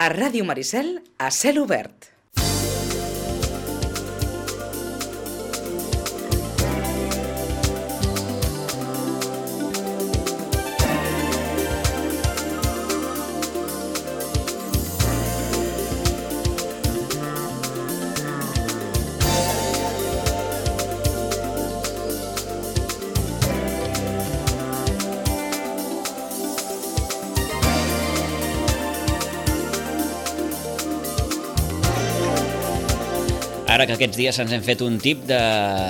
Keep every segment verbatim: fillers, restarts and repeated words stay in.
A Ràdio Maricel, a cel obert. Ara que aquests dies ens hem fet un tip de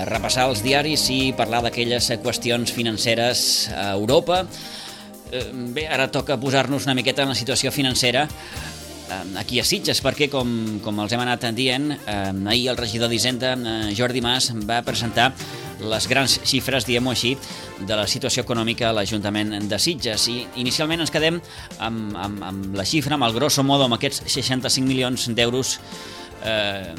repassar els diaris i parlar d'aquelles qüestions financeres a Europa, bé, ara toca posar-nos una miqueta en la situació financera aquí a Sitges, perquè, com, com els hem anat dient, ahir el regidor d'Hisenda, Jordi Mas, va presentar les grans xifres, diguem-ho així, de la situació econòmica a l'Ajuntament de Sitges. I inicialment ens quedem amb, amb, amb la xifra, amb el grosso modo, amb aquests seixanta-cinc milions d'euros eh,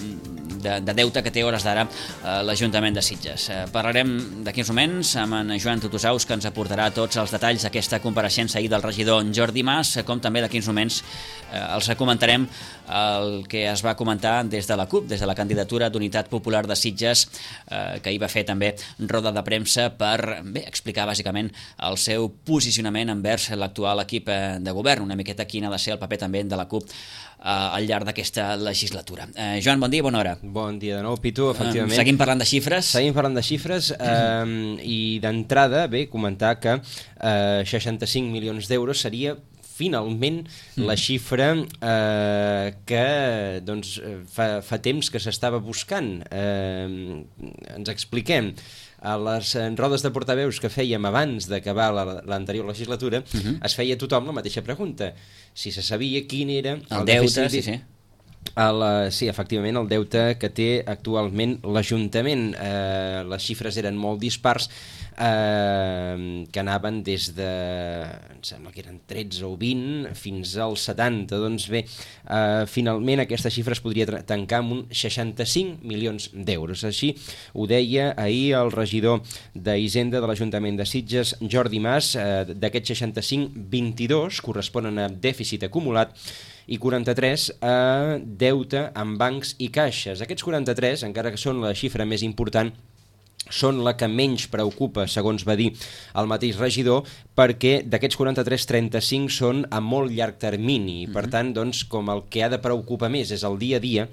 de, de deute que té hores d'ara eh, l'Ajuntament de Sitges. Eh, parlarem d'aquí uns moments amb en Joan Tutusaus, que ens aportarà tots els detalls d'aquesta compareixença ahir del regidor Jordi Mas, com també d'aquí uns moments eh, els comentarem el que es va comentar des de la CUP, des de la candidatura d'Unitat Popular de Sitges, eh, que hi va fer també roda de premsa per bé, explicar bàsicament el seu posicionament envers l'actual equip de govern, una miqueta quin ha de ser el paper també de la CUP eh, al llarg d'aquesta legislatura. Eh, Joan, bon dia, bona hora. Bon dia de nou, Pitu, efectivament. Eh, seguim parlant de xifres. Seguim parlant de xifres eh, i d'entrada, bé, comentar que eh, seixanta-cinc milions d'euros seria finalment mm. la xifra eh, que doncs, fa, fa temps que s'estava buscant. Eh, ens expliquem. A les rodes de portaveus que fèiem abans d'acabar l'anterior legislatura, uh-huh. es feia a tothom la mateixa pregunta. Si se sabia quin era el, el deute, sí, sí. El, sí, efectivament, el deute que té actualment l'Ajuntament. Eh, les xifres eren molt dispars, eh, que anaven des de, em sembla que eren tretze o vint, fins als setanta. Doncs bé, eh, finalment aquesta xifra es podria tancar amb un seixanta-cinc milions d'euros. Així ho deia ahir el regidor d'Hisenda de l'Ajuntament de Sitges, Jordi Mas. Eh, d'aquests seixanta-cinc, vint-i-dos corresponen a dèficit acumulat i quaranta-tres a deute en bancs i caixes. Aquests quaranta-tres, encara que són la xifra més important, són la que menys preocupa, segons va dir el mateix regidor, perquè d'aquests quaranta-tres, trenta-cinc són a molt llarg termini. Mm-hmm. Per tant, doncs, com el que ha de preocupar més és el dia a dia,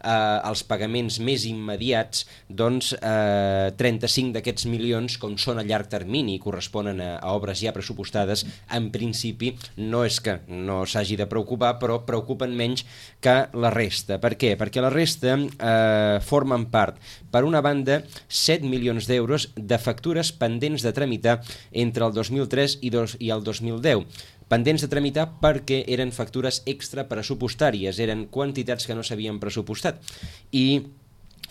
eh, els pagaments més immediats, doncs eh, trenta-cinc d'aquests milions, com són a llarg termini i corresponen a, a obres ja pressupostades, en principi no és que no s'hagi de preocupar, però preocupen menys que la resta. Per què? Perquè la resta eh, formen part, per una banda, set milions d'euros de factures pendents de tramitar entre el dos mil tres i, dos, i el dos mil deu. Pendents de tramitar perquè eren factures extrapressupostàries, eren quantitats que no s'havien pressupostat. I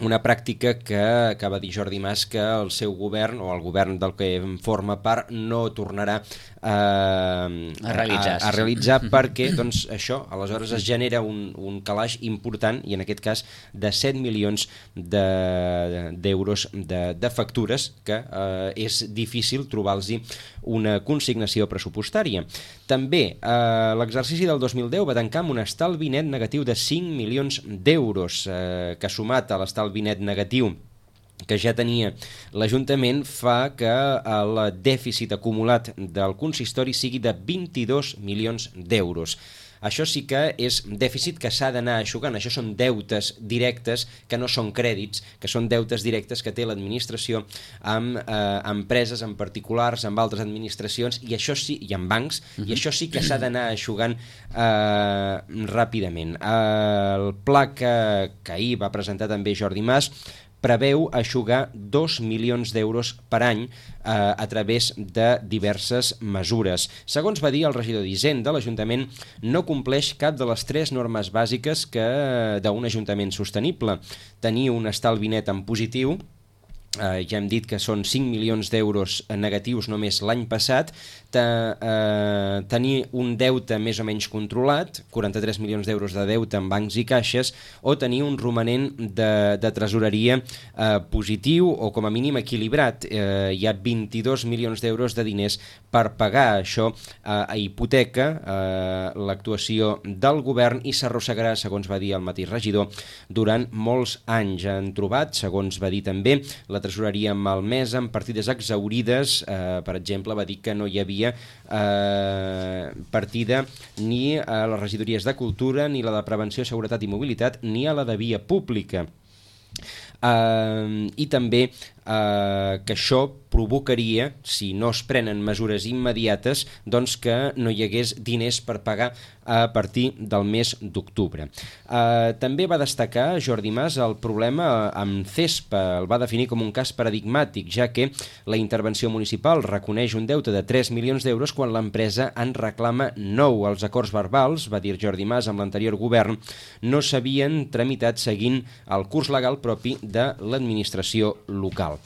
una pràctica que acaba de dir Jordi Mas que el seu govern, o el govern del que forma part, no tornarà eh, a realitzar, a, a realitzar perquè doncs, això, aleshores es genera un, un calaix important, i en aquest cas de set milions d'euros de, de, de factures, que eh, és difícil trobar-los una consignació pressupostària. També eh, l'exercici del dos mil deu va tancar amb un estalvi net negatiu de cinc milions d'euros, eh, que sumat a l'estalvi net negatiu que ja tenia l'Ajuntament fa que el dèficit acumulat del consistori sigui de vint-i-dos milions d'euros. Això sí que és dèficit que s'ha d'anar eixugant. Això són deutes directes que no són crèdits, que són deutes directes que té l'administració amb eh, empreses, amb particulars, amb altres administracions, i això sí, i amb bancs, uh-huh. i això sí que s'ha d'anar eixugant eh, ràpidament. Eh, el pla que, que ahir va presentar també Jordi Mas preveu eixugar dos milions d'euros per any eh, a través de diverses mesures. Segons va dir el regidor d'Hisenda, l'Ajuntament no compleix cap de les tres normes bàsiques que d'un ajuntament sostenible. Tenir un estalvi net en positiu, Uh, ja hem dit que són cinc milions d'euros negatius només l'any passat, te, uh, tenir un deute més o menys controlat, quaranta-tres milions d'euros de deute en bancs i caixes, o tenir un romanent de, de tresoreria uh, positiu o com a mínim equilibrat. Uh, hi ha vint-i-dos milions d'euros de diners per pagar això uh, a hipoteca, uh, l'actuació del govern, i s'arrossegarà, segons va dir el mateix regidor, durant molts anys. Han trobat, segons va dir també, la tresoreria malmesa amb partides exaurides. Eh, per exemple, va dir que no hi havia eh, partida ni a les regidories de Cultura, ni la de Prevenció, Seguretat i Mobilitat, ni a la de Via Pública. Eh, I també eh, que això provocaria, si no es prenen mesures immediates, doncs que no hi hagués diners per pagar a partir del mes d'octubre. Eh, també va destacar Jordi Mas el problema amb Cespa, el va definir com un cas paradigmàtic, ja que la intervenció municipal reconeix un deute de tres milions d'euros quan l'empresa en reclama nou. Els acords verbals, va dir Jordi Mas, amb l'anterior govern, no s'havien tramitat seguint el curs legal propi de l'administració local.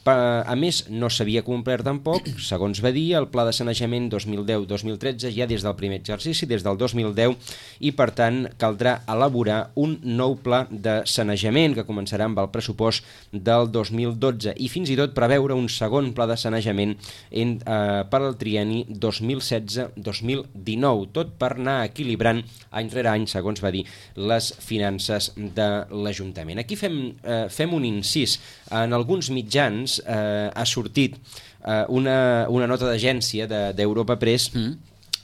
A més, no s'havia complert tampoc, segons va dir, el pla de sanejament dos mil deu dos mil tretze ja des del primer exercici, des del dos mil deu, i per tant caldrà elaborar un nou pla de sanejament que començarà amb el pressupost del dos mil dotze i fins i tot preveure un segon pla de sanejament en, eh, per al trienni dos mil setze dos mil dinou, tot per anar equilibrant any rere any, segons va dir, les finances de l'Ajuntament. Aquí fem, eh, fem un incís. En alguns mitjans eh, ha sortit eh, una, una nota d'agència d'Europa Press. Mm.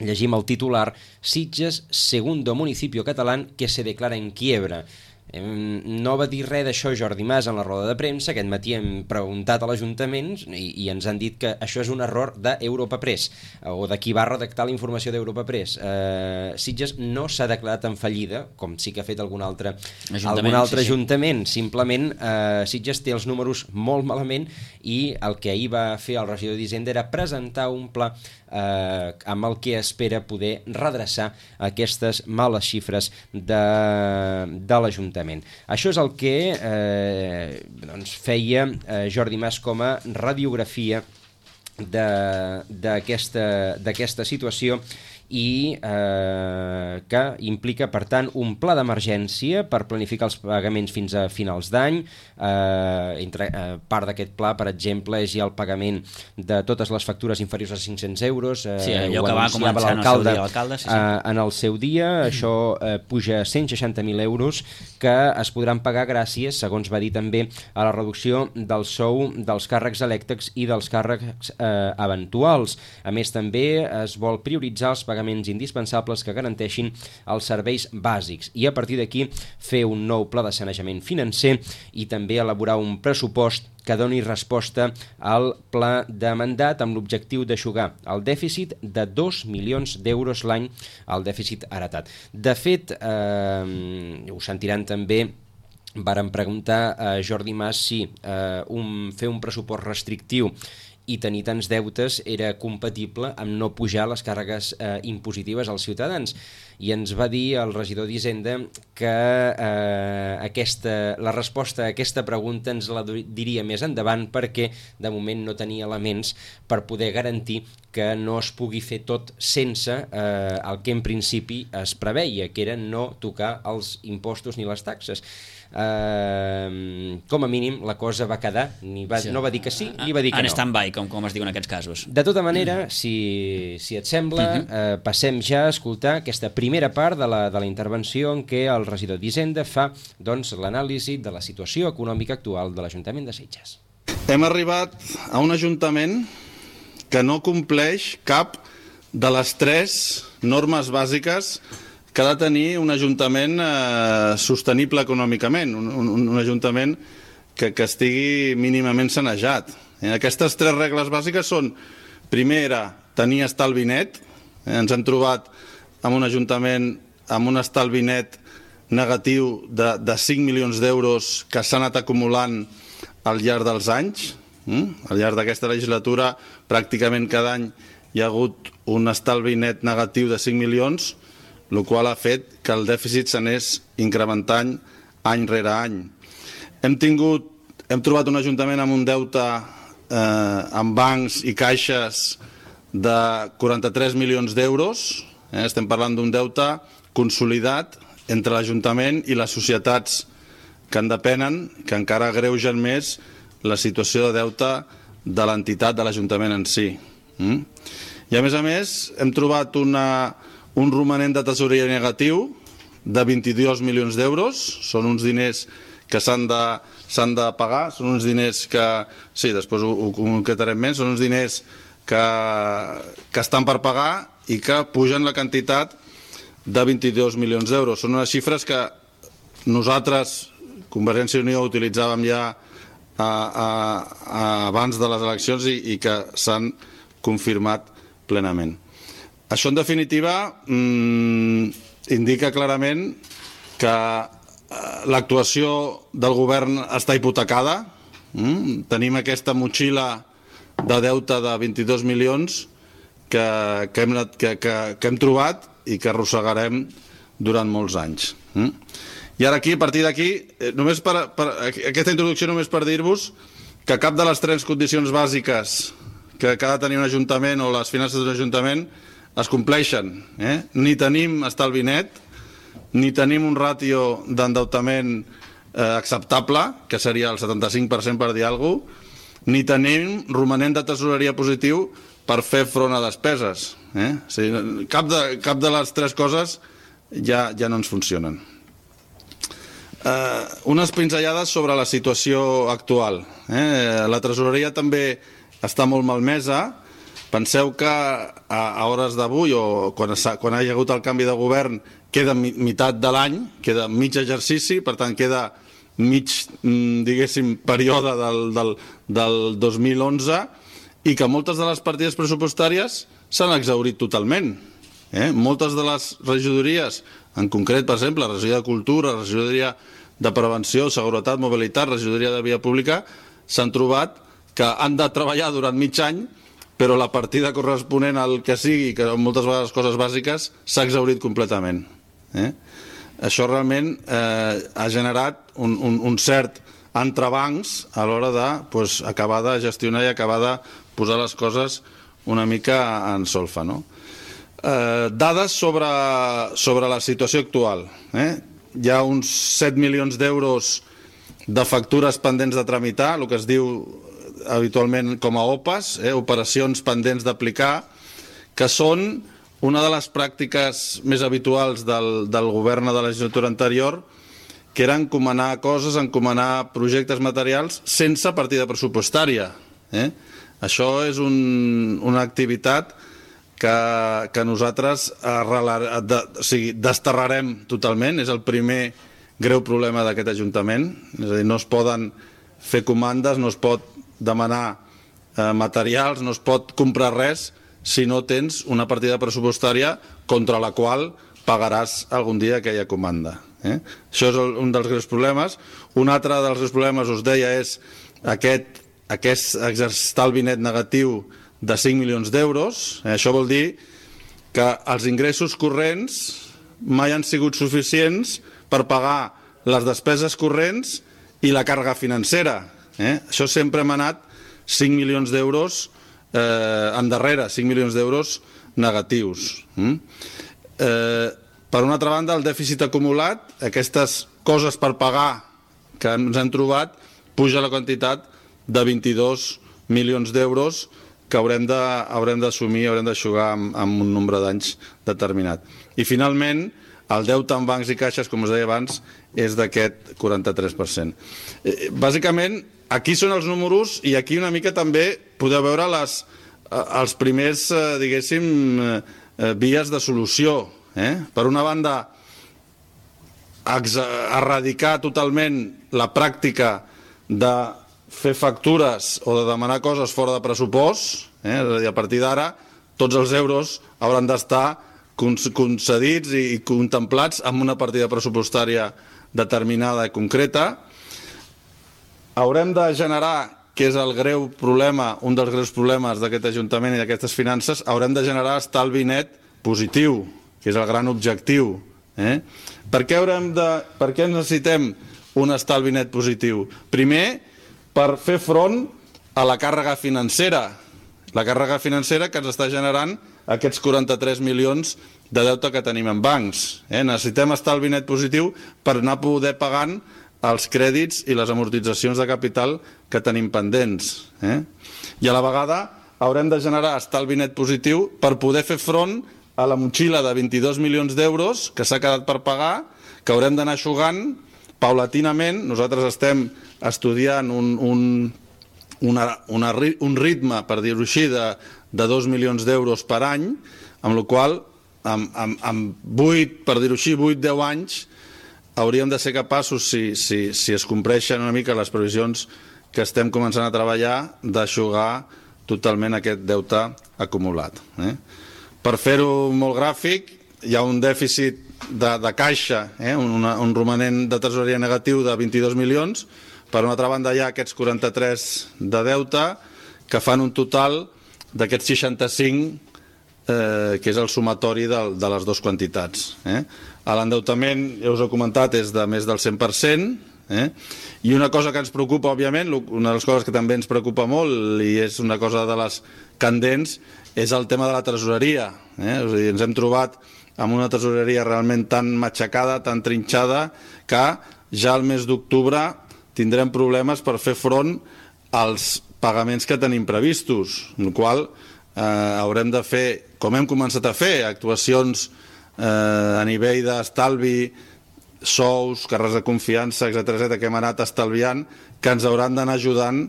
Llegim el titular: Sitges, segundo municipio catalán que se declara en quiebra. No va dir res d'això Jordi Mas en la roda de premsa. Aquest matí hem preguntat a l'Ajuntament i, i ens han dit que això és un error d'Europa Press, o de qui va redactar la informació d'Europa Press. Eh, Sitges no s'ha declarat en fallida, com sí que ha fet algun altre ajuntament. Algun altre sí, ajuntament. Sí. Simplement eh, Sitges té els números molt malament i el que ahir va fer el regidor d'Hisenda era presentar un pla eh, amb el que espera poder redreçar aquestes males xifres de, de l'Ajuntament. Això és el que eh, doncs feia eh, Jordi Mas com a radiografia d'aquesta situació i eh, que implica, per tant, un pla d'emergència per planificar els pagaments fins a finals d'any. Eh, entre eh, part d'aquest pla, per exemple, és ja el pagament de totes les factures inferiors a cinc-cents euros. Eh, sí, allò que va començar l'alcalde sí, sí. eh, en el seu dia. Mm. Això eh, puja a cent seixanta mil euros que es podran pagar gràcies, segons va dir també, a la reducció del sou dels càrrecs elèctrics i dels càrrecs eh, eventuals. A més, també es vol prioritzar els pagaments indispensables que garanteixin els serveis bàsics i a partir d'aquí fer un nou pla de sanejament financer i també elaborar un pressupost que doni resposta al pla de mandat amb l'objectiu d'aixugar el dèficit de dos milions d'euros l'any, el dèficit heretat. De fet, eh, ho sentiran també, varen preguntar a Jordi Mas si eh, un, fer un pressupost restrictiu i tenir tants deutes era compatible amb no pujar les càrregues eh, impositives als ciutadans. I ens va dir el regidor d'Hisenda que eh, aquesta, la resposta a aquesta pregunta ens la diria més endavant perquè de moment no tenia elements per poder garantir que no es pugui fer tot sense eh, el que en principi es preveia, que era no tocar els impostos ni les taxes. Uh, com a mínim la cosa va quedar, ni va, sí. no va dir que sí ni va dir que en no. En stand-by, com, com es diu en aquests casos. De tota manera, si, si et sembla, uh -huh. uh, passem ja a escoltar aquesta primera part de la, de la intervenció en què el regidor d'Hisenda fa doncs, l'anàlisi de la situació econòmica actual de l'Ajuntament de Sitges. Hem arribat a un ajuntament que no compleix cap de les tres normes bàsiques que ha de tenir un ajuntament eh, sostenible econòmicament, un, un, un ajuntament que, que estigui mínimament sanejat. Eh, aquestes tres regles bàsiques són, primera, tenir estalvi net. Eh, ens hem trobat amb un ajuntament amb un estalvi net negatiu de, de cinc milions d'euros que s'ha anat acumulant al llarg dels anys. Mm? Al llarg d'aquesta legislatura, pràcticament cada any hi ha hagut un estalvi net negatiu de cinc milions, el qual ha fet que el dèficit s'anés incrementant any rere any. Hem tingut hem trobat un ajuntament amb un deute eh, amb bancs i caixes de quaranta-tres milions d'euros. Eh? Estem parlant d'un deute consolidat entre l'Ajuntament i les societats que en depenen, que encara agreugen més la situació de deute de l'entitat de l'Ajuntament en si. Mm? I a més a més hem trobat una, un romanent de tesoreria negatiu de vint-i-dos milions d'euros. Són uns diners que s'han de, s'han de pagar, són uns diners que, sí, després ho, ho concretarem més, són uns diners que, que estan per pagar i que pugen la quantitat de vint-i-dos milions d'euros. Són unes xifres que nosaltres, Convergència i Unió, utilitzàvem ja a, a, a, abans de les eleccions i, i que s'han confirmat plenament. Això, en definitiva, mmm, indica clarament que l'actuació del govern està hipotecada. Mm? Tenim aquesta motxilla de deute de vint-i-dos milions que, que, hem, que, que, que hem trobat i que arrossegarem durant molts anys. Mm? I ara aquí, a partir d'aquí, només per, per, aquesta introducció només per dir-vos que cap de les tres condicions bàsiques que, que ha de tenir un ajuntament o les finances d'un ajuntament es compleixen. Eh? Ni tenim estalvi net, ni tenim un ràtio d'endeutament eh, acceptable, que seria el setanta-cinc per cent per dir alguna cosa, ni tenim romanent de tesoreria positiu per fer front a despeses. Eh? O sigui, cap, de, cap de les tres coses ja, ja no ens funcionen. Eh, unes pinzellades sobre la situació actual. Eh? La tresoreria també està molt malmesa. Penseu que a, a hores d'avui, o quan, quan hi ha hagut el canvi de govern, queda meitat de l'any, queda mig exercici, per tant queda mig, diguéssim, període del, del, del dos mil onze, i que moltes de les partides pressupostàries s'han exhaurit totalment. Eh? Moltes de les regidories, en concret, per exemple, la regidoria de Cultura, la regidoria de Prevenció, Seguretat, Mobilitat, la regidoria de Via Pública, s'han trobat que han de treballar durant mig any, però la partida corresponent al que sigui, que moltes vegades coses bàsiques, s'ha exhaurit completament. Eh? Això realment eh, ha generat un, un, un cert entrebancs a l'hora de pues, acabar de gestionar i acabar de posar les coses una mica en solfa. No? Eh, dades sobre, sobre la situació actual. Eh? Hi ha uns set milions d'euros de factures pendents de tramitar, el que es diu habitualment com a O P As, eh, operacions pendents d'aplicar, que són una de les pràctiques més habituals del, del govern de la legislatura anterior, que era encomanar coses, encomanar projectes materials sense partida pressupostària. Eh? Això és un, una activitat que, que nosaltres arrelar, de, o sigui, desterrarem totalment. És el primer greu problema d'aquest Ajuntament. És a dir, no es poden fer comandes, no es pot demanar eh, materials, no es pot comprar res si no tens una partida pressupostària contra la qual pagaràs algun dia aquella comanda. Eh? Això és un dels greus problemes. Un altre dels greus problemes, us deia, és aquest, aquest estalvi net negatiu de cinc milions d'euros. Eh? Això vol dir que els ingressos corrents mai han sigut suficients per pagar les despeses corrents i la càrrega financera. Eh? Això sempre hem anat cinc milions d'euros eh, endarrere, cinc milions d'euros negatius. Mm? Eh, per una altra banda, el dèficit acumulat, aquestes coses per pagar que ens hem trobat, puja la quantitat de vint-i-dos milions d'euros que haurem de, haurem d'assumir, haurem d'aixugar amb, amb un nombre d'anys determinat. I finalment, el deute en bancs i caixes, com us deia abans, és d'aquest quaranta-tres per cent. Eh, bàsicament, aquí són els números i aquí una mica també podeu veure les, els primers, eh, diguéssim, eh, vies de solució. Eh? Per una banda, erradicar totalment la pràctica de fer factures o de demanar coses fora de pressupost. Eh? És a dir, a partir d'ara, tots els euros hauran d'estar concedits i contemplats amb una partida pressupostària determinada i concreta. Haurem de generar, que és el greu problema, un dels greus problemes d'aquest Ajuntament i d'aquestes finances, haurem de generar estalvi net positiu, que és el gran objectiu. Eh? Per què haurem de, per què necessitem un estalvi net positiu? Primer, per fer front a la càrrega financera. La càrrega financera que ens està generant aquests quaranta-tres milions de deute que tenim en bancs. Eh? Necessitem estalvi net positiu per anar a poder pagant els crèdits i les amortitzacions de capital que tenim pendents. Eh? I a la vegada haurem de generar estalvi net positiu per poder fer front a la motxilla de vint-i-dos milions d'euros que s'ha quedat per pagar, que haurem d'anar eixugant paulatinament. Nosaltres estem estudiant un, un, una, una, un ritme, per dir-ho així, de, de dos milions d'euros per any, amb la qual cosa, amb, amb, amb vuit, per dir-ho així, vuit a deu anys, hauríem de ser capaços, si, si, si es compleixen una mica les previsions que estem començant a treballar, d'eixugar totalment aquest deute acumulat. Eh? Per fer-ho molt gràfic, hi ha un dèficit de, de caixa, eh? un, un romanent de tresoreria negatiu de vint-i-dos milions, per una altra banda hi ha aquests quaranta-tres de deute, que fan un total d'aquests seixanta-cinc, eh, que és el sumatori de, de les dues quantitats. Eh? L'endeutament, ja us he comentat, és de més del cent per cent, eh? I una cosa que ens preocupa, òbviament, una de les coses que també ens preocupa molt, i és una cosa de les candents, és el tema de la tresoreria. Eh? És a dir, ens hem trobat amb una tresoreria realment tan matxacada, tan trinxada, que ja al mes d'octubre tindrem problemes per fer front als pagaments que tenim previstos, amb la qual cosa eh, haurem de fer, com hem començat a fer, actuacions eh, a nivell d'estalvi, sous, càrrecs de confiança, etcètera, etcètera, que hem anat estalviant, que ens hauran d'anar ajudant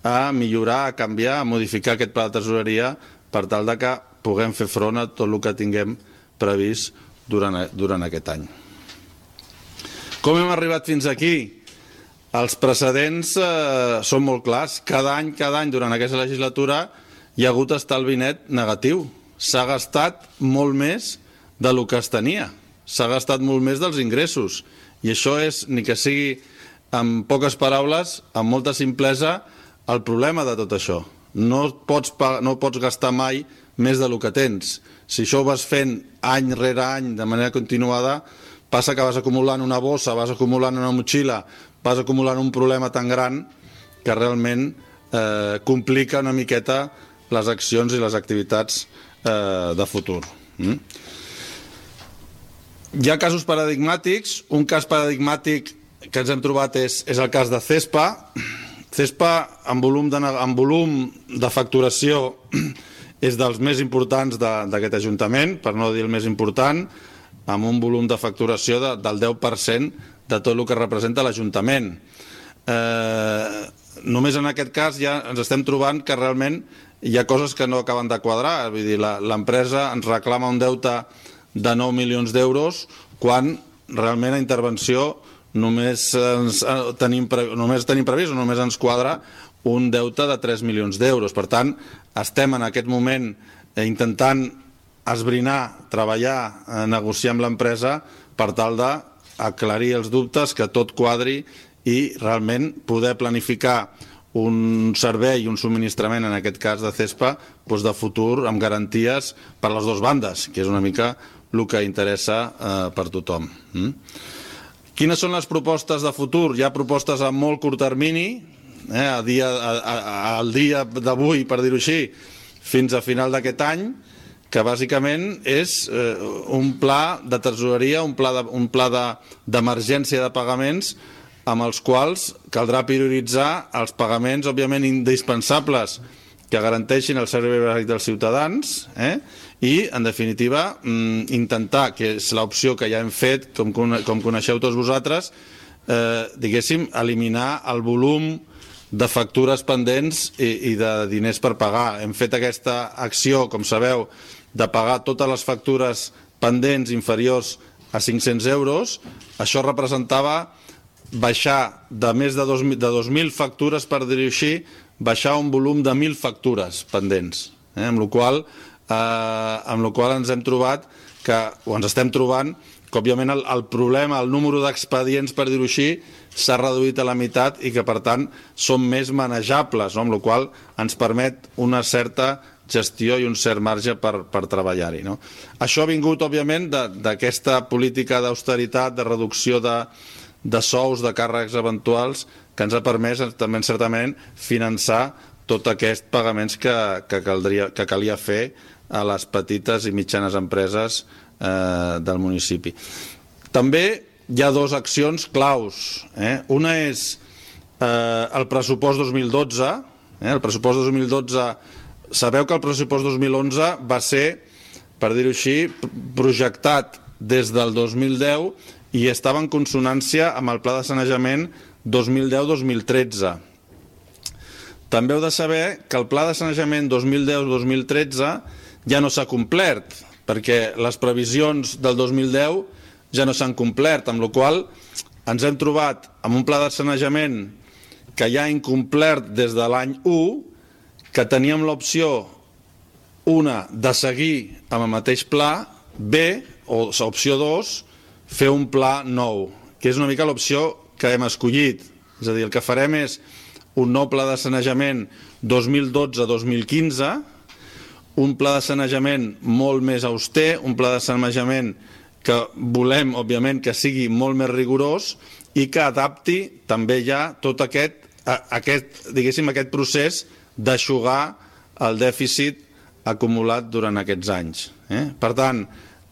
a millorar, a canviar, a modificar aquest pla de tresoreria per tal de que puguem fer front a tot el que tinguem previst durant, durant aquest any. Com hem arribat fins aquí? Els precedents eh, són molt clars. Cada any, cada any, durant aquesta legislatura, hi ha hagut estalvi net negatiu. S'ha gastat molt més del que es tenia. S'ha gastat molt més dels ingressos. I això és, ni que sigui amb poques paraules, amb molta simplesa, el problema de tot això. No pots, no pots gastar mai més del que tens. Si això ho vas fent any rere any de manera continuada, passa que vas acumulant una bossa, vas acumulant una motxilla, vas acumulant un problema tan gran que realment eh, complica una miqueta les accions i les activitats eh, de futur. Mm? Hi ha casos paradigmàtics. Un cas paradigmàtic que ens hem trobat és, és el cas de Cespa. Cespa, en volum de, en volum de facturació, és dels més importants d'aquest Ajuntament, per no dir el més important, amb un volum de facturació de, del deu per cent de tot el que representa l'Ajuntament. Eh, només en aquest cas ja ens estem trobant que realment hi ha coses que no acaben de quadrar. Vull dir, l'empresa ens reclama un deute de nou milions d'euros quan realment a intervenció només, ens, tenim, només tenim previst o només ens quadra un deute de tres milions d'euros. Per tant, estem en aquest moment intentant esbrinar, treballar, negociar amb l'empresa per tal d'aclarir els dubtes, que tot quadri i realment poder planificar un servei i un subministrament, en aquest cas de Cespa, doncs de futur amb garanties per les dues bandes, que és una mica el que interessa eh, per tothom. Mm? Quines són les propostes de futur? Hi ha propostes a molt curt termini, eh, a dia, a, a, al dia d'avui, per dir-ho així, fins a final d'aquest any, que bàsicament és eh, un pla de tresoreria, un pla de, un pla de, d'emergència de pagaments amb els quals caldrà prioritzar els pagaments, òbviament, indispensables que garanteixin el servei bàsic dels ciutadans, eh? I, en definitiva, intentar, que és l'opció que ja hem fet, com, com coneixeu tots vosaltres, eh, diguéssim, eliminar el volum de factures pendents i, i de diners per pagar. Hem fet aquesta acció, com sabeu, de pagar totes les factures pendents inferiors a cinc-cents euros. Això representava baixar de més de dos mil factures, per dir-ho així, baixar un volum de mil factures pendents, eh? amb la qual eh, amb la qual ens hem trobat que, o ens estem trobant que òbviament el, el problema, el número d'expedients, per dir-ho així, s'ha reduït a la meitat i que per tant són més manejables, no? Amb la qual ens permet una certa gestió i un cert marge per, per treballar-hi, no? Això ha vingut òbviament d'aquesta política d'austeritat, de reducció de, de sous, de càrrecs eventuals, que ens ha permès també certament finançar tots aquests pagaments que, que, caldria, que calia fer a les petites i mitjanes empreses eh, del municipi. També hi ha dues accions claus. Eh? Una és eh, el pressupost dos mil dotze. Eh? El pressupost dos mil dotze, sabeu que el pressupost dos mil onze va ser, per dir-ho així, projectat des del dos mil deu i estava en consonància amb el pla de sanejament dos mil deu dos mil tretze. També heu de saber que el pla de sanejament dos mil deu dos mil tretze ja no s'ha complert, perquè les previsions del dos mil deu ja no s'han complert, amb la qual cosa ens hem trobat amb un pla de sanejament que ja ha incomplert des de l'any u, que teníem l'opció, una, de seguir amb el mateix pla, B, o opció dos, fer un pla nou, que és una mica l'opció que hem escollit. És a dir, el que farem és un nou pla de sanejament dos mil dotze dos mil quinze, un pla de sanejament molt més auster, un pla de sanejament que volem, òbviament, que sigui molt més rigorós i que adapti també ja tot aquest, aquest, diguéssim, aquest procés d'eixugar el dèficit acumulat durant aquests anys. Eh? Per tant,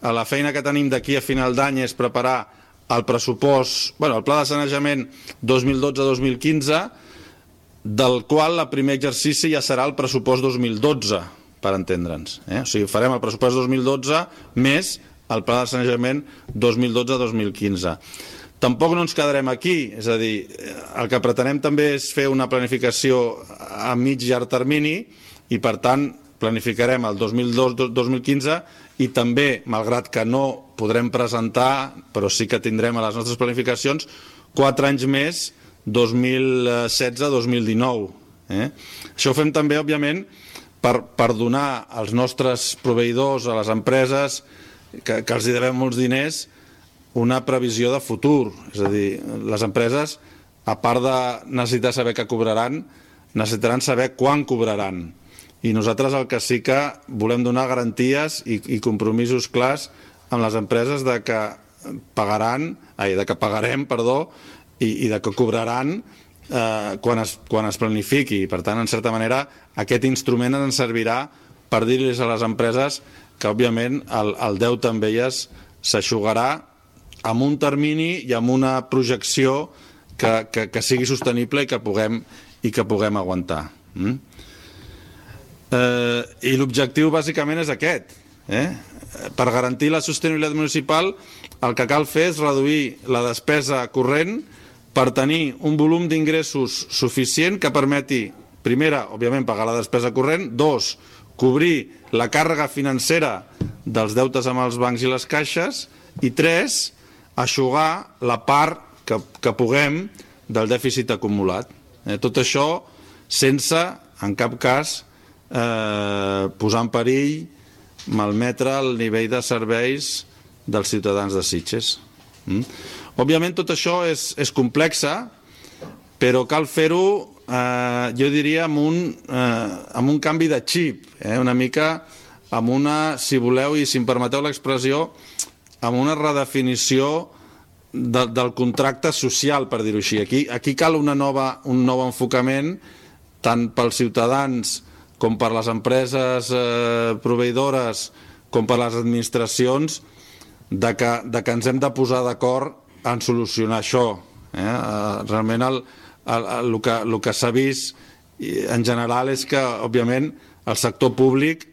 la feina que tenim d'aquí a final d'any és preparar el pressupost, bueno, el pla de sanejament dos mil dotze dos mil quinze, del qual el primer exercici ja serà el pressupost dos mil dotze, per entendre'ns. Eh? O sigui, farem el pressupost dos mil dotze més el pla de sanejament dos mil dotze dos mil quinze. Tampoc no ens quedarem aquí, és a dir, el que pretenem també és fer una planificació a mig i llarg termini i, per tant, planificarem el dos mil dotze dos mil quinze i també, malgrat que no podrem presentar, però sí que tindrem a les nostres planificacions, quatre anys més, dos mil setze dos mil dinou. Eh? Això ho fem també, òbviament, per, per donar als nostres proveïdors, a les empreses, que, que els hi devem molts diners, una previsió de futur. És a dir, les empreses, a part de necessitar saber què cobraran, necessitaran saber quan cobraran. I nosaltres el que sí que volem donar garanties i, i compromisos clars amb les empreses de que pagaran, ai, de que pagarem, perdó, i, i de que cobraran eh, quan, es, quan es planifiqui. Per tant, en certa manera, aquest instrument ens servirà per dir-los a les empreses que, òbviament, el, el deute amb elles s'eixugarà amb un termini i amb una projecció que, que, que sigui sostenible i que puguem, i que puguem aguantar. Mm? Eh, I l'objectiu, bàsicament, és aquest. Eh? Per garantir la sostenibilitat municipal, el que cal fer és reduir la despesa corrent per tenir un volum d'ingressos suficient que permeti, primera, òbviament, pagar la despesa corrent, dos, cobrir la càrrega financera dels deutes amb els bancs i les caixes, i tres, eixugar la part que, que puguem del dèficit acumulat. Eh, tot això sense, en cap cas, eh, posar en perill, malmetre el nivell de serveis dels ciutadans de Sitges. Mm? Òbviament tot això és, és complexa, però cal fer-ho, eh, jo diria, amb un, eh, amb un canvi de xip, eh, una mica amb una, si voleu i si em permeteu l'expressió, amb una redefinició de, del contracte social, per dir-ho així. Aquí, aquí cal una nova, un nou enfocament, tant pels ciutadans com per les empreses eh, proveïdores, com per les administracions, de que, de que ens hem de posar d'acord en solucionar això. Eh? Realment el, el, el, el que, el que s'ha vist en general és que, òbviament, el sector públic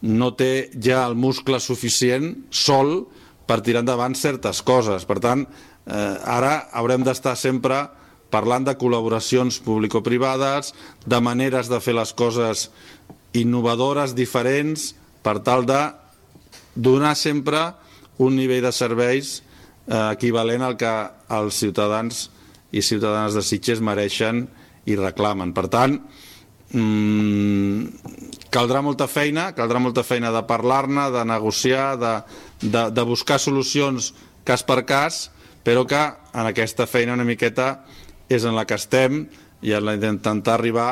no té ja el muscle suficient sol per tirar endavant certes coses. Per tant, eh, ara haurem d'estar sempre parlant de col·laboracions público-privades, de maneres de fer les coses innovadores, diferents, per tal de donar sempre un nivell de serveis eh, equivalent al que els ciutadans i ciutadanes de Sitges mereixen i reclamen. Per tant, mmm, caldrà molta feina, caldrà molta feina de parlar-ne, de negociar, de, de, de buscar solucions cas per cas, però que en aquesta feina una miqueta és en la que estem i en la d'intentar arribar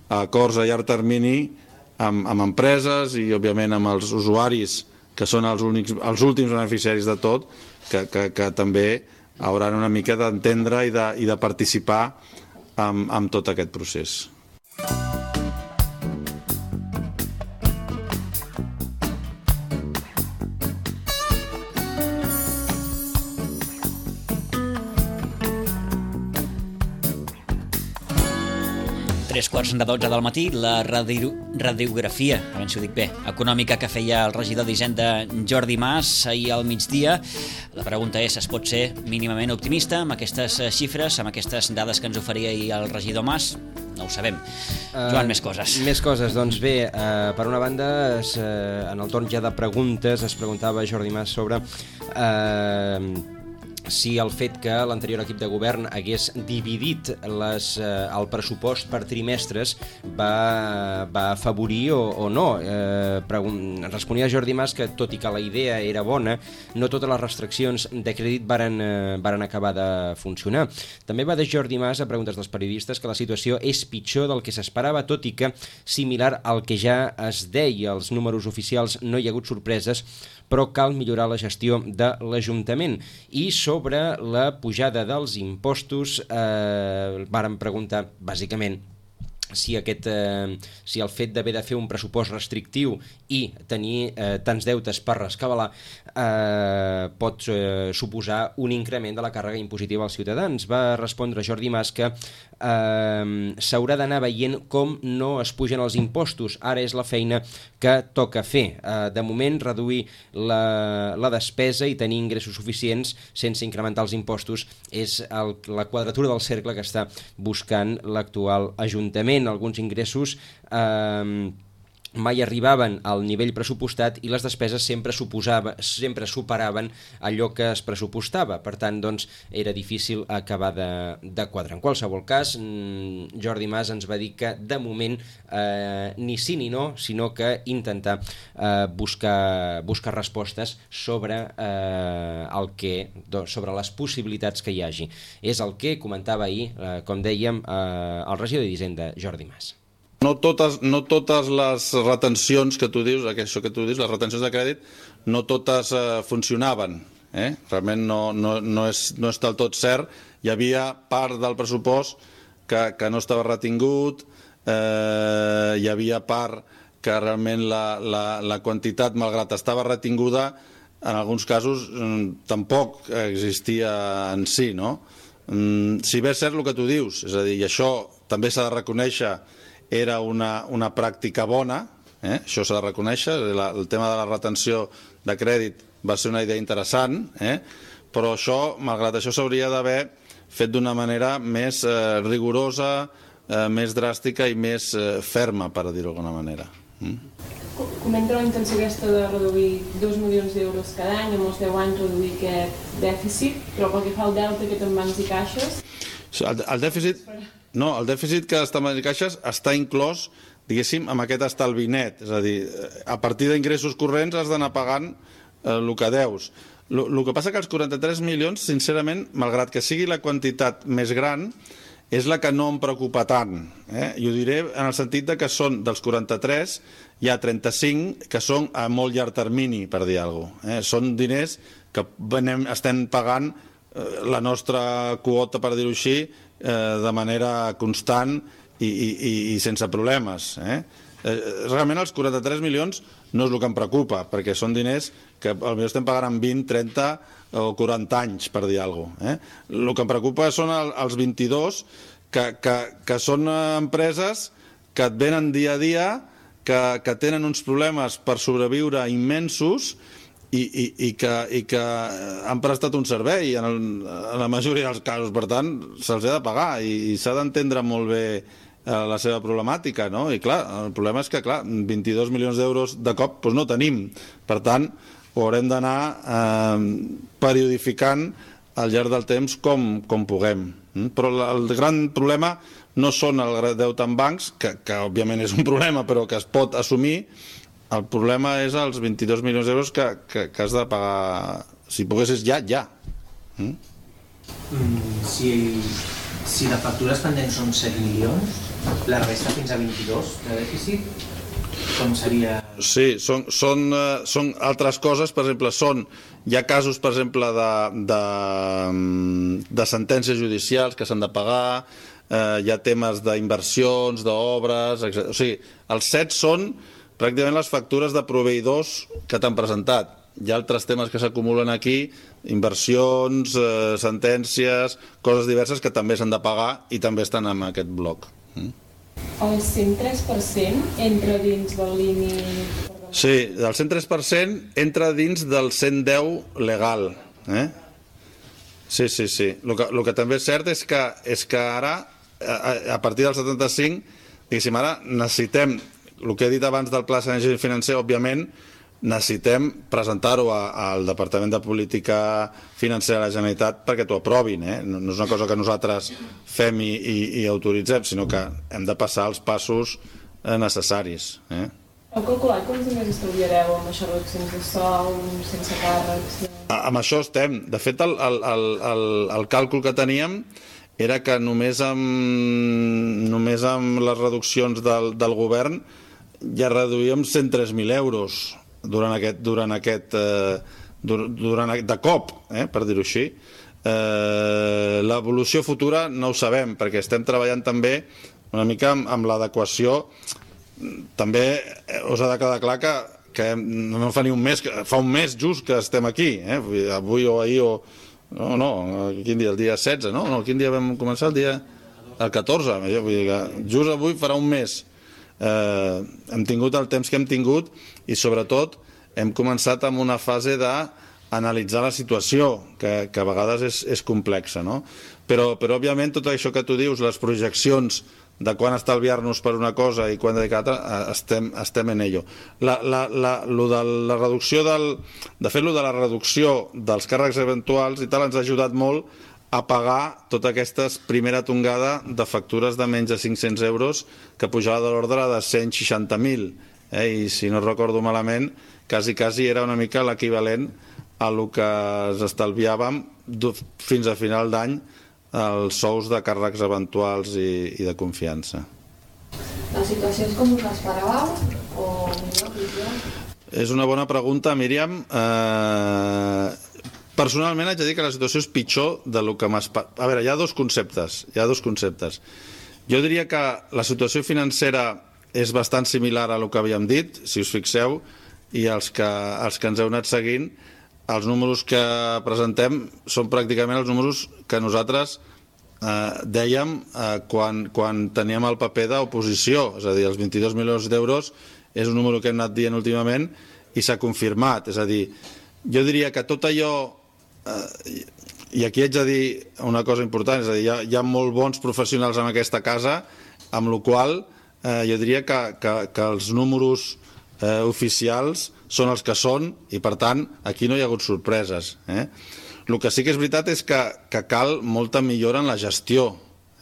a acords a llarg termini amb, amb empreses i, òbviament, amb els usuaris, que són els, únics, els últims beneficiaris de tot, que, que, que també hauran una mica d'entendre i, de, i de participar en, en tot aquest procés. Tres quarts de dotze del matí, la radio, radiografia, a veure si ho dic bé, econòmica que feia el regidor d'Hisenda Jordi Mas ahir al migdia. La pregunta és, es pot ser mínimament optimista amb aquestes xifres, amb aquestes dades que ens oferia ahir el regidor Mas? No ho sabem. Joan, uh, més coses. Més coses, doncs bé, uh, per una banda, es, uh, en el torn ja de preguntes es preguntava Jordi Mas sobre Uh, si el fet que l'anterior equip de govern hagués dividit les, eh, el pressupost per trimestres va, va afavorir o, o no. Eh, pregun- responia Jordi Mas que, tot i que la idea era bona, no totes les restriccions de crèdit varen, eh, varen acabar de funcionar. També va dir Jordi Mas, a preguntes dels periodistes, que la situació és pitjor del que s'esperava, tot i que, similar al que ja es deia, els números oficials no hi ha hagut sorpreses, però cal millorar la gestió de l'Ajuntament. I sobre la pujada dels impostos, eh, vàrem preguntar, bàsicament, si, aquest, eh, si el fet d'haver de fer un pressupost restrictiu i tenir eh, tants deutes per rescabalar eh, pot eh, suposar un increment de la càrrega impositiva als ciutadans. Va respondre Jordi Mas que eh, s'haurà d'anar veient com no es pugen els impostos. Ara és la feina que toca fer. Eh, de moment, reduir la, la despesa i tenir ingressos suficients sense incrementar els impostos és el, la quadratura del cercle que està buscant l'actual Ajuntament. Alguns ingressos eh, mai arribaven al nivell pressupostat i les despeses sempre suposava, sempre superaven allò que es pressupostava. Per tant, doncs, era difícil acabar de, de quadrar. En qualsevol cas, Jordi Mas ens va dir que, de moment, eh, ni sí ni no, sinó que intentar eh, buscar, buscar respostes sobre, eh, el que, sobre les possibilitats que hi hagi. És el que comentava ahir, eh, com dèiem, eh, el regidor d'Hisenda, Jordi Mas. No totes, no totes les retencions que tu dius, això que tu dius, les retencions de crèdit, no totes eh, funcionaven. Eh? Realment no, no, no, és, no és del tot cert. Hi havia part del pressupost que, que no estava retingut, eh, hi havia part que realment la, la, la quantitat, malgrat estava retinguda, en alguns casos tampoc existia en si, no? Si bé és cert el que tu dius, és a dir, i això també s'ha de reconèixer, era una, una pràctica bona, eh? Això s'ha de reconèixer, la, el tema de la retenció de crèdit va ser una idea interessant, eh? Però això, malgrat això, s'hauria d'haver fet d'una manera més eh, rigorosa, eh, més dràstica i més eh, ferma, per dir-ho d'alguna manera. Mm? Comenta la intenció aquesta de reduir dos milions d'euros cada any, en els deu anys reduir aquest dèficit, però pel que fa al deute que té en bancs i caixes... El, el dèficit... No, el dèficit que està en bancs i caixes està inclòs, diguéssim, amb aquest estalvi net. És a dir, a partir d'ingressos corrents has d'anar pagant eh, el que deus. El que passa que els quaranta-tres milions, sincerament, malgrat que sigui la quantitat més gran, és la que no em preocupa tant. Eh? I ho diré en el sentit de que són dels quaranta-tres, hi ha trenta-cinc que són a molt llarg termini, per dir alguna cosa. Eh? Són diners que venem, estem pagant eh, la nostra quota, per dir-ho així, eh, de manera constant i, i, i sense problemes. Eh? Eh, realment els quaranta-tres milions no és el que em preocupa, perquè són diners que potser estem pagant en vint, trenta o quaranta anys, per dir alguna cosa. Eh? El que em preocupa són el, els vint-i-dos, que, que, que són empreses que et venen dia a dia, que, que tenen uns problemes per sobreviure immensos i, i, i, que, i que han prestat un servei en, el, en la majoria dels casos. Per tant, se'ls ha de pagar i, i s'ha d'entendre molt bé la seva problemàtica, no? I clar, el problema és que, clar, vint-i-dos milions d'euros de cop doncs no tenim. Per tant, ho haurem d'anar eh, periodificant al llarg del temps com, com puguem. Però el gran problema no són el deute en bancs, que, que òbviament és un problema, però que es pot assumir. El problema és els vint-i-dos milions d'euros que, que, que has de pagar, si poguessis ja, ja. Mm? Mm, si, si la factura pendent són set milions, la resta fins a vint-i-dos de dèficit, com seria... Sí, són, són, uh, són altres coses, per exemple, són, hi ha casos, per exemple, de, de, de sentències judicials que s'han de pagar, uh, hi ha temes d'inversions, d'obres, etcètera. O sigui, els set són pràcticament les factures de proveïdors que t'han presentat. Hi ha altres temes que s'acumulen aquí, inversions, uh, sentències, coses diverses que també s'han de pagar i també estan en aquest bloc. Mm? El cent tres per cent entra dins del límit... Sí, el cent tres per cent entra dins del cent deu legal. Eh? Sí, sí, sí. El que, el que també és cert és que, és que ara, a, a partir del setanta-cinc, diguéssim, ara necessitem, el que he dit abans del pla de sanejament financer, òbviament, necessitem presentar-ho al Departament de Política Financera de la Generalitat perquè t'ho aprovin. Eh? No, no és una cosa que nosaltres fem i, i, i autoritzem, sinó que hem de passar els passos eh, necessaris. Eh? Heu calculat quants diners estalviareu amb això, reduccions de sou, sense càrrecs? A, amb això estem. De fet, el, el, el, el, el càlcul que teníem era que només amb, només amb les reduccions del, del govern ja reduïem cent tres mil euros durant aquest, durant aquest eh, durant, de cop, eh, per dir-ho així. Eh, l'evolució futura no ho sabem, perquè estem treballant també una mica amb, amb l'adequació. També us ha de quedar clar que, que no fa ni un mes, fa un mes just que estem aquí, eh? Avui o ahir o... No, no, quin dia? El dia setze, no? No, quin dia vam començar? El dia... El catorze, vull dir que just avui farà un mes. Eh, hem tingut el temps que hem tingut i sobretot hem començat amb una fase d'analitzar la situació que, que a vegades és, és complexa, no? Però, però òbviament tot això que tu dius, les projeccions de quan estalviar-nos per una cosa i quan dedicar altra, estem, estem en ello. La, la, la, lo de la reducció del, de fet, lo de la reducció dels càrrecs eventuals i tal ens ha ajudat molt a pagar tota aquesta primera tongada de factures de menys de cinc-cents euros que pujava de l'ordre de cent seixanta mil. Eh? I si no recordo malament, quasi, quasi era una mica l'equivalent a el que ens estalviàvem fins a final d'any els sous de càrrecs eventuals i, i de confiança. La situació és com us l'esperàveu o millor, pitjor? És una bona pregunta, Míriam. Eh... Personalment haig de dir que la situació és pitjor del que m'esperava. A veure, hi ha dos conceptes. Hi ha dos conceptes. Jo diria que la situació financera és bastant similar a el que havíem dit, si us fixeu, i els que, els que ens heu anat seguint, els números que presentem són pràcticament els números que nosaltres eh, dèiem eh, quan, quan teníem el paper d'oposició. És a dir, els vint-i-dos milions d'euros és un número que hem anat dient últimament i s'ha confirmat. És a dir, jo diria que tot allò... Uh, i aquí haig de dir una cosa important, és a dir, hi ha, hi ha molt bons professionals en aquesta casa, amb la qual uh, jo diria que, que, que els números uh, oficials són els que són i per tant aquí no hi ha hagut sorpreses. Eh? El que sí que és veritat és que, que cal molta millora en la gestió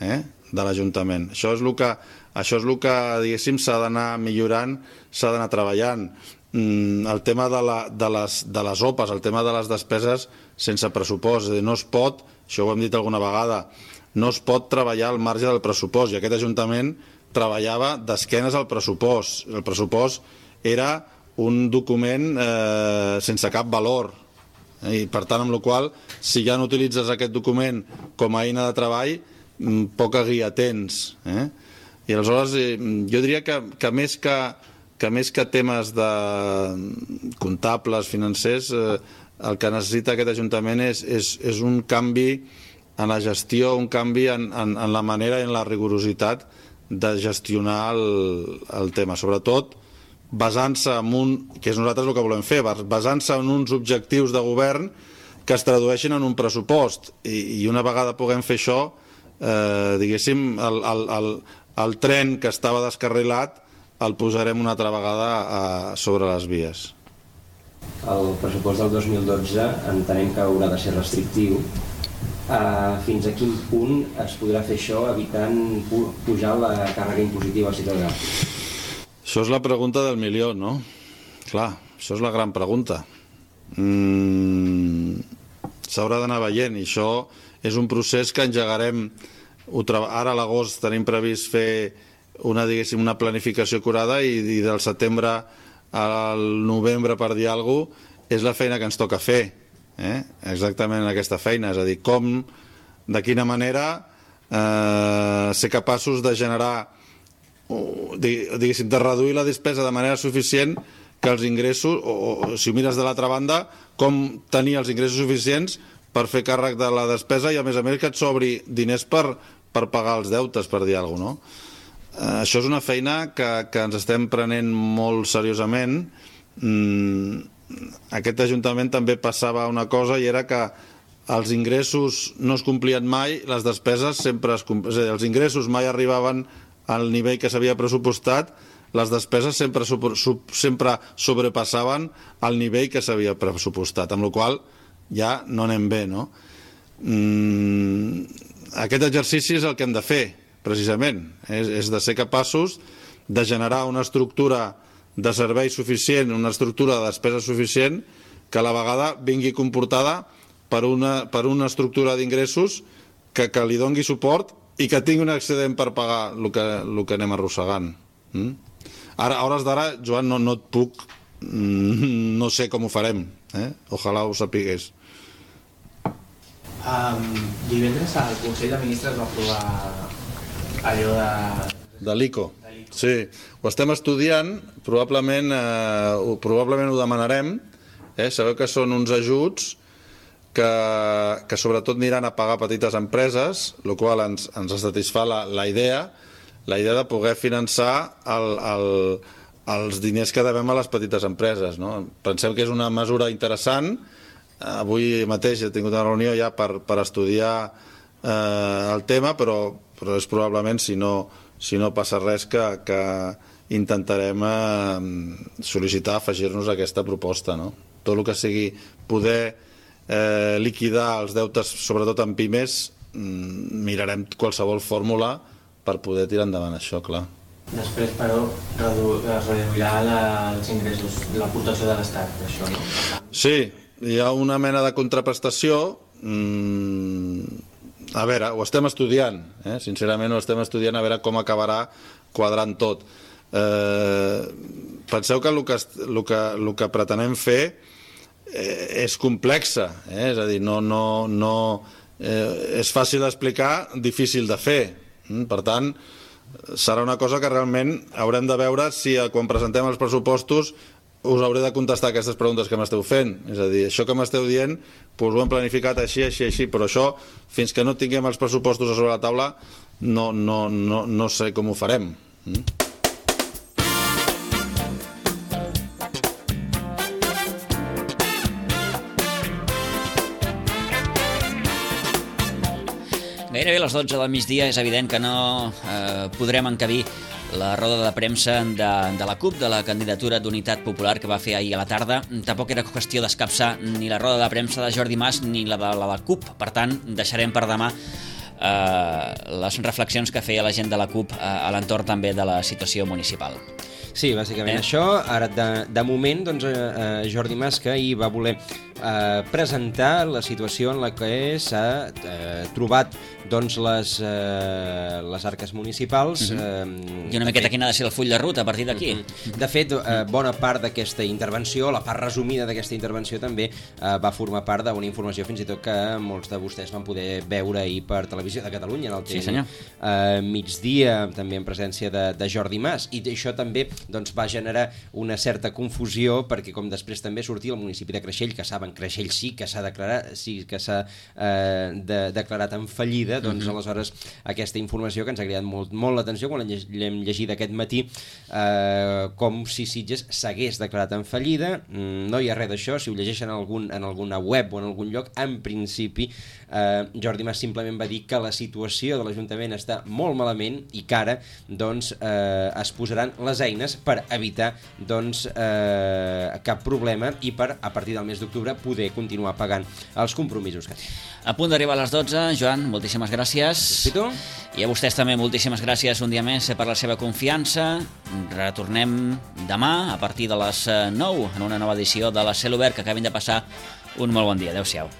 eh, de l'Ajuntament. Això és el que, això és el que diguéssim, s'ha d'anar millorant, s'ha d'anar treballant. El tema de, la, de, les, de les O P As, el tema de les despeses sense pressupost. No es pot, això ho hem dit alguna vegada, no es pot treballar al marge del pressupost, i aquest Ajuntament treballava d'esquenes al pressupost. El pressupost era un document eh, sense cap valor, i per tant, amb la qual cosa, si ja no utilitzes aquest document com a eina de treball, poca guia tens. Eh? I aleshores, eh, jo diria que, que més que que més que temes de comptables, financers, eh, el que necessita aquest Ajuntament és, és, és un canvi en la gestió, un canvi en, en, en la manera i en la rigorositat de gestionar el, el tema, sobretot basant-se en un, que és nosaltres el que volem fer, basant-se en uns objectius de govern que es tradueixin en un pressupost, i, i una vegada puguem fer això, eh, diguéssim, el, el, el, el tren que estava descarrilat el posarem una altra vegada a, sobre les vies. El pressupost del dos mil dotze entenem que haurà de ser restrictiu. Uh, fins a quin punt es podrà fer això evitant pu pujar la càrrega impositiva al ciutadà? Això és la pregunta del milió, no? Clar, això és la gran pregunta. Mm, s'haurà d'anar veient, i això és un procés que engegarem. Ara a l'agost tenim previst fer una, diguéssim, una planificació acurada i, i del setembre al novembre, per dir alguna cosa, és la feina que ens toca fer. Eh? Exactament aquesta feina, és a dir, com, de quina manera eh, ser capaços de generar, diguéssim, de reduir la despesa de manera suficient que els ingressos, o, o si ho mires de l'altra banda, com tenir els ingressos suficients per fer càrrec de la despesa i a més a més que et sobri diners per, per pagar els deutes, per dir alguna cosa, no? Eh, això és una feina que, que ens estem prenent molt seriosament. Mm, aquest Ajuntament també passava una cosa i era que els ingressos no es complien mai, les despeses sempre es complien, és a dir, els ingressos mai arribaven al nivell que s'havia pressupostat, les despeses sempre, sempre sobrepassaven el nivell que s'havia pressupostat, amb la qual cosa ja no anem bé, no? Mm, aquest exercici és el que hem de fer, precisament, és, és de ser capaços de generar una estructura de servei suficient, una estructura de despesa suficient que a la vegada vingui comportada per una, per una estructura d'ingressos que, que li dongui suport i que tingui un excedent per pagar el que, el que anem arrossegant. Mm? Ara, a hores d'ara, Joan, no, no et puc, no sé com ho farem, eh? Ojalà ho sapigués. Um, divendres al Consell de Ministres va aprovar allò de... De l'I C O. Sí, ho estem estudiant, probablement, eh, probablement ho demanarem. Eh? Sabeu que són uns ajuts que, que sobretot aniran a pagar petites empreses, el qual ens, ens satisfà la, la idea, la idea de poder finançar el, el, els diners que devem a les petites empreses. No? Pensem que és una mesura interessant. Avui mateix he tingut una reunió ja per, per estudiar eh, el tema, però, però és probablement, si no, si no passa res, que, que intentarem eh, sol·licitar afegir-nos a aquesta proposta. No? Tot el que sigui poder eh, liquidar els deutes, sobretot en pimes, mirarem qualsevol fórmula per poder tirar endavant això, clar. Després, però, redu es reduirà la, els ingressos, l'aportació de l'Estat, això, no? Sí, hi ha una mena de contraprestació. Mm, a veure, ho estem estudiant, eh? Sincerament ho estem estudiant, a veure com acabarà quadrant tot. Eh, penseu que el que, el que, el que pretenem fer eh, és complexa, eh? És a dir, no, no, no, eh, és fàcil d'explicar, difícil de fer. Per tant, serà una cosa que realment haurem de veure si quan presentem els pressupostos us hauré de contestar aquestes preguntes que m'esteu fent. És a dir, això que m'esteu dient, doncs ho hem planificat així, així, així, però això, fins que no tinguem els pressupostos a sobre la taula, no, no, no, no sé com ho farem. Mm? Gairebé a les dotze del migdia és evident que no eh, podrem encabir la roda de premsa de, de la CUP, de la candidatura d'Unitat Popular que va fer ahir a la tarda. Tampoc era qüestió d'escapçar ni la roda de premsa de Jordi Mas ni la de la, la CUP. Per tant, deixarem per demà eh, les reflexions que feia la gent de la CUP eh, a l'entorn també de la situació municipal. Sí, bàsicament eh? això. Ara, de, de moment, doncs, eh, Jordi Mas, que ahir va voler eh, presentar la situació en la que s'ha eh, trobat doncs, les, eh, les arques municipals. Uh-huh. eh, I una miqueta quin ha de ser el full de ruta a partir d'aquí. Uh-huh. De fet, eh, bona part d'aquesta intervenció, la part resumida d'aquesta intervenció també eh, va formar part d'una informació fins i tot que molts de vostès van poder veure ahir per Televisió de Catalunya, en el sí, senyor. Eh, migdia, també en presència de, de Jordi Mas. I això també doncs, va generar una certa confusió, perquè com després també sortia el municipi de Creixell, que saben, Creixell sí que s'ha declarat, sí que s'ha eh, de, declarat en fallida, doncs uh-huh. aleshores aquesta informació que ens ha cridat molt, molt l'atenció quan l'hem llegit aquest matí, eh, com si Sitges s'hagués declarat en fallida. No hi ha res d'això, si ho llegeixen en, algun, en alguna web o en algun lloc, en principi eh, Jordi Mas simplement va dir que la situació de l'Ajuntament està molt malament i que ara doncs, eh, es posaran les eines per evitar doncs, eh, cap problema i per, a partir del mes d'octubre, poder continuar pagant els compromisos que té. A punt d'arribar a les dotze, Joan, moltíssimes gràcies. Respito. I a vostès també moltíssimes gràcies un dia més per la seva confiança. Retornem demà a partir de les nou en una nova edició de la Cel Obert. Que acabin de passar un molt bon dia. Adéu-siau.